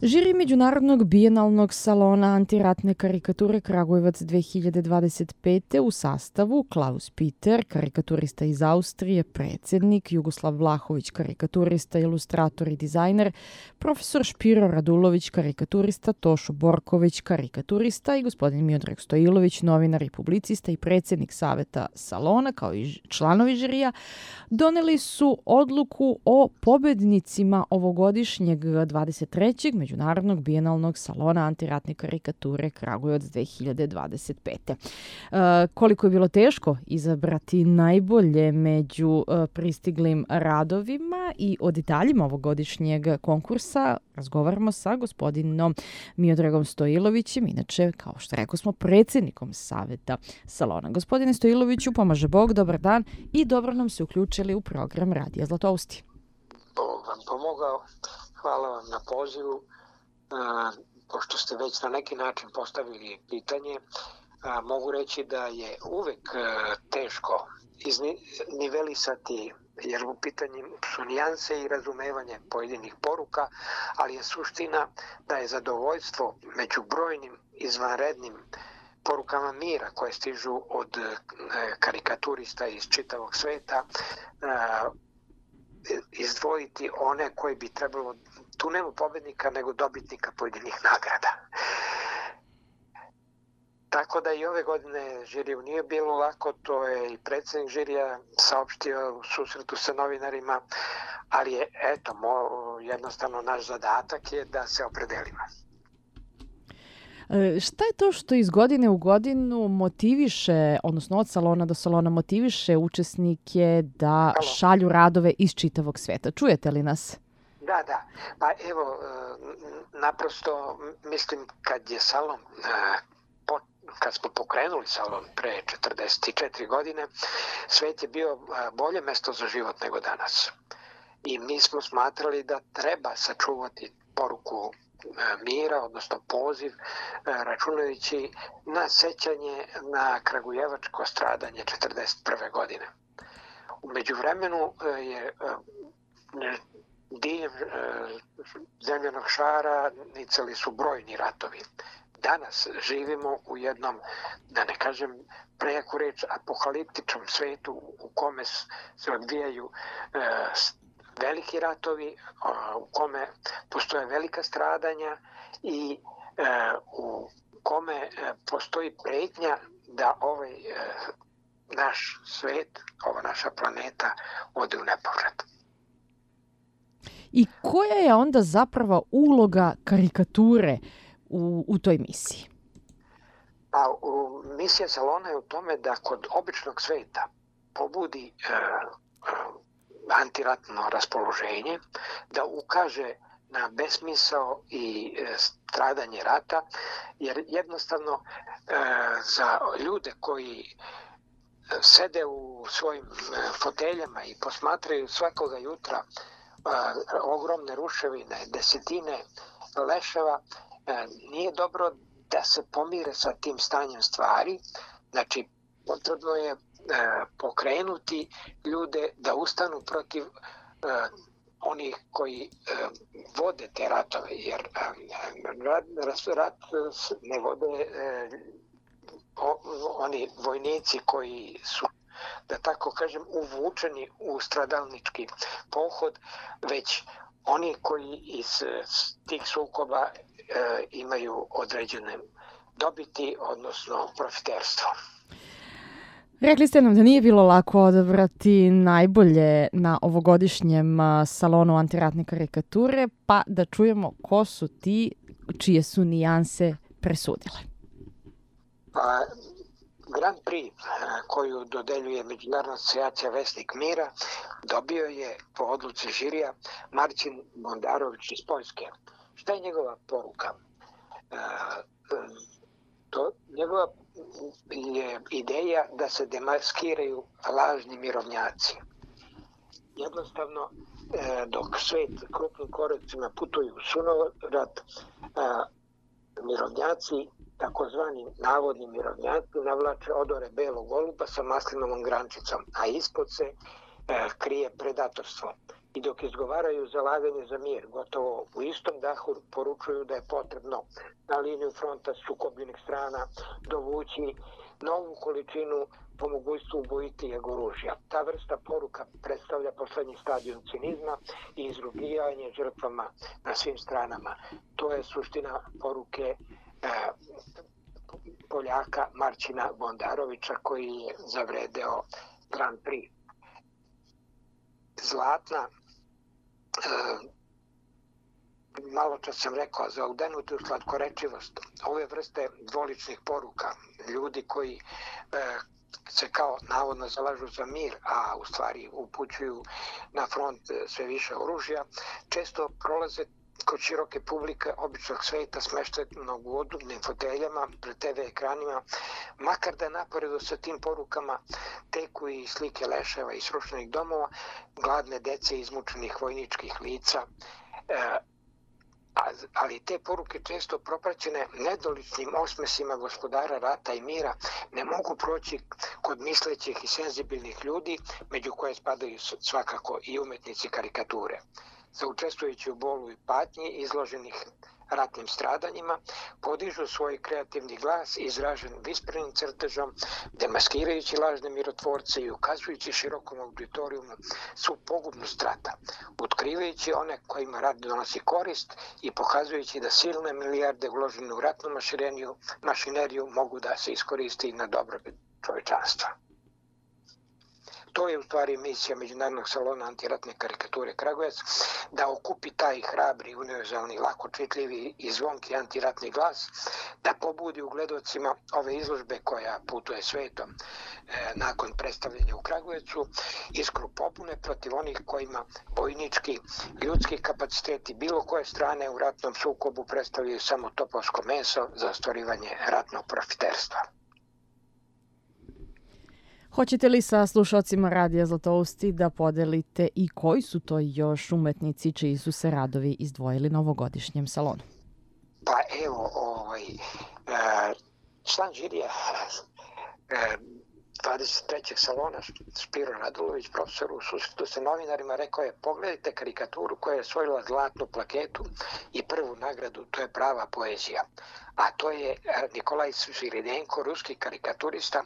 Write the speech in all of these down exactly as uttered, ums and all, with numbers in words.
Žiri Međunarodnog bijenalnog salona antiratne karikature Kragujevac dve hiljade dvadeset pete u sastavu Klaus Peter, karikaturista iz Austrije, predsjednik, Jugoslav Vlahović, karikaturista, ilustrator i dizajner, profesor Špiro Radulović, karikaturista, Tošo Borković, karikaturista i gospodin Miodrag Stojilović, novinar i publicista i predsjednik saveta salona, kao i članovi žirija, doneli su odluku o pobednicima ovogodišnjeg dvadeset trećeg Međunarodnog bijenalnog salona antiratne karikature Kragujevac dve hiljade dvadeset pete. E, koliko je bilo teško izabrati najbolje među e, pristiglim radovima i o detaljima ovogodišnjeg konkursa razgovaramo sa gospodinom Miodragom Stojilovićem, inače, kao što rekao smo, predsjednikom saveta salona. Gospodine Stojiloviću, pomaže Bog, dobar dan i dobro nam se uključili u program Radija Zlatousti. Bog vam pomogao. Hvala vam na pozivu. A, pošto ste već na neki način postavili pitanje, a, mogu reći da je uvek a, teško iznivelisati, jer u pitanju su nijanse i razumevanje pojedinih poruka, ali je suština da je zadovoljstvo među brojnim izvanrednim porukama mira koje stižu od karikaturista iz čitavog sveta, izdvojiti one koji bi trebalo, tu nema pobednika nego dobitnika pojedinih nagrada. Tako da i ove godine žiriju nije bilo lako, to je i predsjednik žirija saopštio u susretu sa novinarima, ali je, eto, mo, jednostavno naš zadatak je da se opredelimo. E, šta je to što iz godine u godinu motiviše, odnosno od salona do salona motiviše učesnike da Halo. šalju radove iz čitavog sveta? Čujete li nas? Da, da. Pa evo, naprosto mislim kad je salon, kad smo pokrenuli salon pre četrdeset četiri godine, svet je bio bolje mesto za život nego danas. I mi smo smatrali da treba sačuvati poruku mira, odnosno poziv, računajući na sećanje na kragujevačko stradanje četrdeset prve godine. U međuvremenu je diljem zemljanog šara nicali su brojni ratovi. Danas živimo u jednom, da ne kažem prejaku reč, apokaliptičnom svetu u kome se odvijaju veliki ratovi, u kome postoje velika stradanja i u kome postoji pretnja da ovaj naš svet, ova naša planeta ode u nepovrat. I koja je onda zapravo uloga karikature u, u toj misiji? Pa, u, misija salona je u tome da kod običnog sveta pobudi e, e, antiratno raspoloženje, da ukaže na besmisao i e, stradanje rata, jer jednostavno e, za ljude koji sede u svojim foteljama i posmatraju svakoga jutra a, ogromne ruševine, desetine leševa, a, nije dobro da se pomire sa tim stanjem stvari. Znači, potrebno je a, pokrenuti ljude da ustanu protiv a, onih koji a, vode te ratove, jer a, rat, rat ne vode a, o, oni vojnici koji su, da tako kažem, uvučeni u stradalnički pohod, već oni koji iz tih sukoba e, imaju određene dobiti, odnosno profiterstvo. Rekli ste nam da nije bilo lako odabrati najbolje na ovogodišnjem salonu antiratne karikature, pa da čujemo ko su ti čije su nijanse presudile. Pa, Grand Prix koju dodeljuje Međunarodna asocijacija Vesnik mira dobio je po odluci žirija Marcin Bondarović iz Poljske. Šta je njegova poruka? E, to, njegova je ideja da se demaskiraju lažni mirovnjaci. Jednostavno, e, dok svet krupnim koracima putuju u sunovrat, e, mirovnjaci, takozvani navodni mirovnjaci, navlače odore belog goluba sa maslinovom grančicom, a ispod se e, krije predatorstvo. i dok izgovaraju zalaganje za mir, gotovo u istom dahu poručuju da je potrebno na liniju fronta sukobljenih strana dovući novu količinu po mogućstvu ubojitijeg oružja. Ta vrsta poruka predstavlja poslednji stadijum cinizma i izrugivanje žrtvama na svim stranama. To je suština poruke e, Poljaka Marčina Bondarovića koji je zavredeo Grand Prix. Zlatna, e, malo čas sam rekao, za udenutu slatkorečivost ove vrste dvoličnih poruka, ljudi koji e, se kao navodno zalažu za mir, a u stvari upućuju na front sve više oružja, često prolaze kod široke publike običnog sveta smeštenog u udobnim foteljama pred te ve ekranima, makar da naporedu sa tim porukama teku i slike leševa i srušenih domova, gladne dece i izmučenih vojničkih lica, e, ali te poruke često propraćene nedoličnim osmesima gospodara rata i mira ne mogu proći kod mislećih i senzibilnih ljudi, među koje spadaju svakako i umetnici karikature. Saučestvujući u bolu i patnji izloženih ratnim stradanjima, podižu svoj kreativni glas izražen visprenim crtežom, demaskirajući lažne mirotvorce i ukazujući širokom auditorijumu svu pogubnost rata, otkrivajući one kojima rat donosi korist i pokazujući da silne milijarde uložene u ratnu mašineriju, mašineriju mogu da se iskoristi na dobrobit čovečanstva. To je u stvari misija Međunarodnog salona antiratne karikature Kragujevac, da okupi taj hrabri, univerzalni, lako čitljivi i zvonki antiratni glas, da pobudi u gledocima ove izložbe koja putuje svetom e, nakon predstavljanja u Kragujevcu, iskru pobune protiv onih kojima vojnički, ljudski kapaciteti bilo koje strane u ratnom sukobu predstavljaju samo topovsko meso za ostvarivanje ratnog profiterstva. Hoćete li sa slušalcima Radija Zlatousti da podelite i koji su to još umetnici čiji su se radovi izdvojili na ovogodišnjem salonu? Pa evo, ovaj, član žirija dvadeset trećeg salona Špiro Radulović, profesor u susretu sa novinarima, rekao je: pogledajte karikaturu koja je osvojila zlatnu plaketu i prvu nagradu, to je prava poezija. A to je Nikolaj Sviridenko, ruski karikaturista.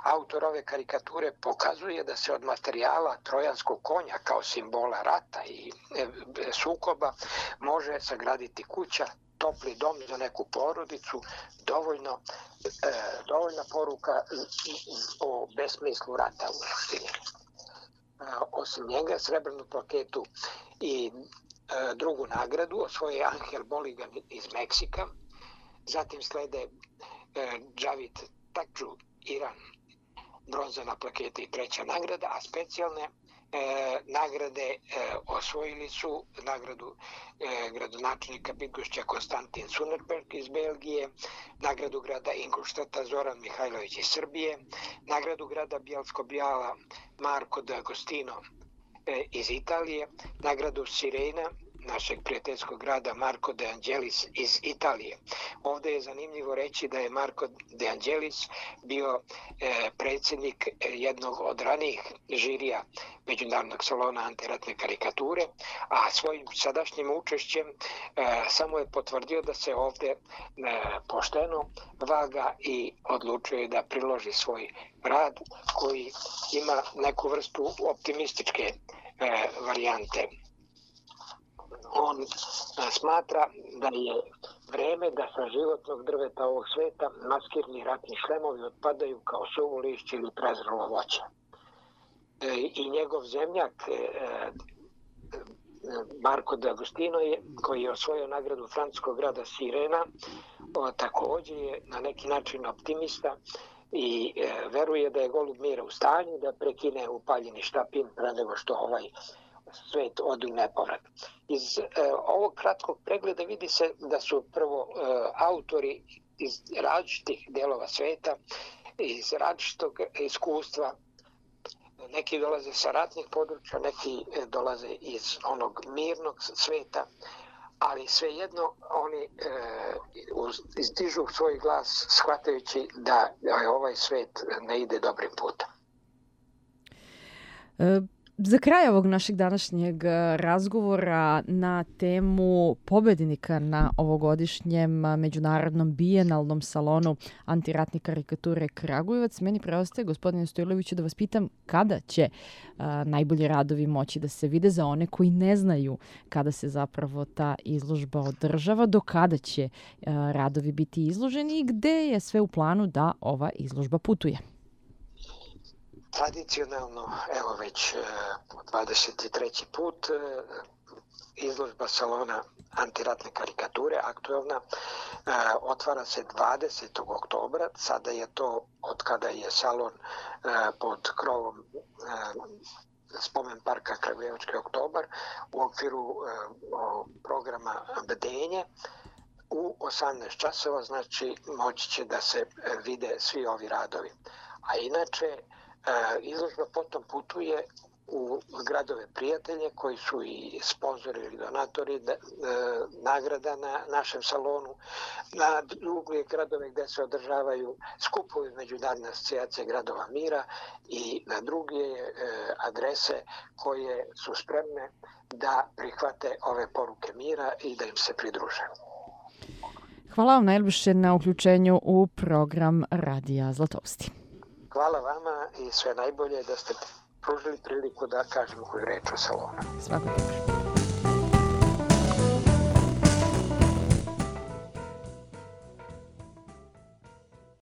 Autor ove karikature pokazuje da se od materijala trojanskog konja kao simbola rata i sukoba može sagraditi kuća, topli dom za neku porodicu, dovoljno, e, dovoljna poruka o besmislu rata u suštini. E, osim njega, srebrnu plaketu i e, drugu nagradu osvoje Angel Boligan iz Meksika. Zatim slede e, Džavid Takdžu, Iran, bronzana plaketa i treća nagrada, a specijalne E, nagrade e, osvojili su nagradu e, gradonačelnika Bydgošća Konstantin Sunerberg iz Belgije, nagradu grada Ingolštata Zoran Mihajlović iz Srbije, nagradu grada Bjelsko-Bijala Marko D'Agostino e, iz Italije, nagradu Sirena našeg prijateljskog grada Marko De Angelis iz Italije. Ovdje je zanimljivo reći da je Marko De Angelis bio e, predsjednik jednog od ranijih žirija Međunarodnog salona antiratne karikature, a svojim sadašnjim učešćem e, samo je potvrdio da se ovdje e, pošteno vaga i odlučuje da priloži svoj rad koji ima neku vrstu optimističke e, varijante. On smatra da je vreme da sa životnog drveta ovog sveta maskirni ratni šlemovi otpadaju kao suvo lišće ili prezrelo voće. I njegov zemljak Marko D'Agostino, je, koji je osvojio nagradu francuskog grada Sirena, također je na neki način optimista i veruje da je golub mira u stanju da prekine upaljeni štapin pre nego što ovaj svet ode u nepovrat. Iz e, ovog kratkog pregleda vidi se da su prvo e, autori iz različitih delova sveta, iz različitog iskustva. Neki dolaze sa ratnih područja, neki dolaze iz onog mirnog sveta, ali svejedno oni e, izdižu svoj glas shvatajući da ovaj svet ne ide dobrim putem. E... Za kraj ovog našeg današnjeg razgovora na temu pobednika na ovogodišnjem međunarodnom bijenalnom salonu antiratne karikature Kragujevac, meni preostaje, gospodine Stojloviću, da vas pitam kada će a, najbolji radovi moći da se vide za one koji ne znaju kada se zapravo ta izložba održava, do kada će a, radovi biti izloženi i gde je sve u planu da ova izložba putuje. Tradicionalno, evo već dvadeset treći put, izložba salona antiratne karikature, aktuelna, otvara se dvadesetog oktobra. Sada je to, od kada je salon pod krovom Spomen parka Kragujevački oktobar, u okviru programa Bdenje, u osamnaest časova, znači moći će da se vide svi ovi radovi. A inače, izložba potom putuje u gradove prijatelje koji su i sponzori ili donatori nagrada na našem salonu, na druge gradove gde se održavaju skupovi Međunarodne asocijacije gradova mira i na druge adrese koje su spremne da prihvate ove poruke mira i da im se pridruže. Hvala vam najljepše na uključenju u program Radija Zlatovsti. Hvala vama i sve najbolje da ste pružili priliku da kažemo koju reč o salonu. Svako dobro.